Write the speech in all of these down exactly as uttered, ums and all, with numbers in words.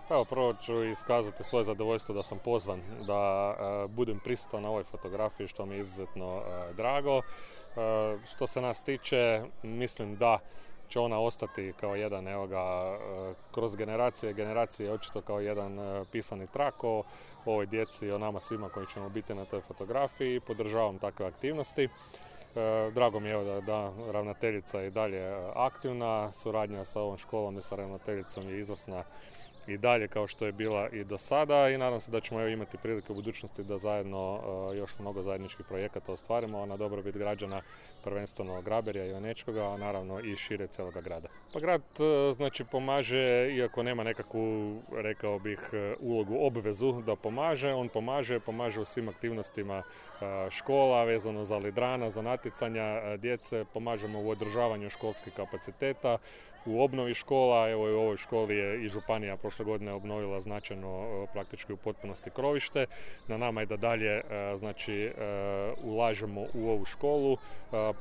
Pa evo, prvo ću iskazati svoje zadovoljstvo da sam pozvan da e, budem prisutan na ovoj fotografiji, što mi je izuzetno e, drago. E, što se nas tiče, mislim da će ona ostati kao jedan, evo ga, e, kroz generacije, generacije očito kao jedan e, pisani trak o ovoj djeci, o nama svima koji ćemo biti na toj fotografiji. Podržavam takve aktivnosti. E, drago mi je evo da, da ravnateljica je i dalje aktivna, suradnja sa ovom školom i sa ravnateljicom je izvrsna i dalje kao što je bila i do sada i nadam se da ćemo imati prilike u budućnosti da zajedno uh, još mnogo zajedničkih projekata ostvarimo na dobrobit građana, prvenstveno Graberja i Onečkoga, a naravno i šire cijeloga grada. Pa grad uh, znači pomaže, iako nema nekakvu, rekao bih, ulogu, obvezu da pomaže, on pomaže, pomaže u svim aktivnostima uh, škola vezano za lidrana, za natjecanja uh, djece, pomažemo u održavanju školskih kapaciteta, u obnovi škola. Evo i u ovoj školi je i županija prošle godine obnovila značajno, praktički u potpunosti, krovište. Na nama je da dalje znači ulažemo u ovu školu.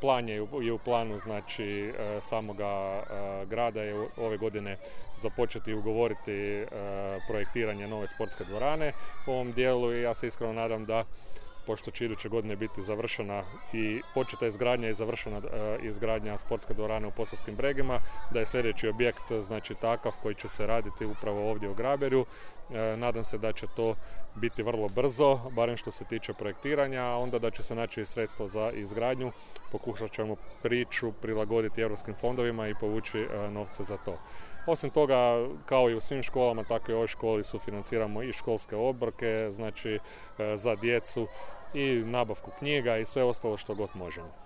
Plan je, je u planu znači samoga grada je ove godine započeti ugovoriti projektiranje nove sportske dvorane u ovom dijelu i ja se iskreno nadam da, pošto će iduće godine biti završena i početa izgradnja i završena e, izgradnja sportske dvorane u Posavskim Bregima, da je sljedeći objekt znači takav koji će se raditi upravo ovdje u Graberju. E, nadam se da će to biti vrlo brzo, barem što se tiče projektiranja, a onda da će se naći i sredstva za izgradnju. Pokušat ćemo priču prilagoditi europskim fondovima i povući e, novce za to. Osim toga, kao i u svim školama, tako i u ovoj školi sufinanciramo i školske obroke, znači za djecu i nabavku knjiga i sve ostalo što god možemo.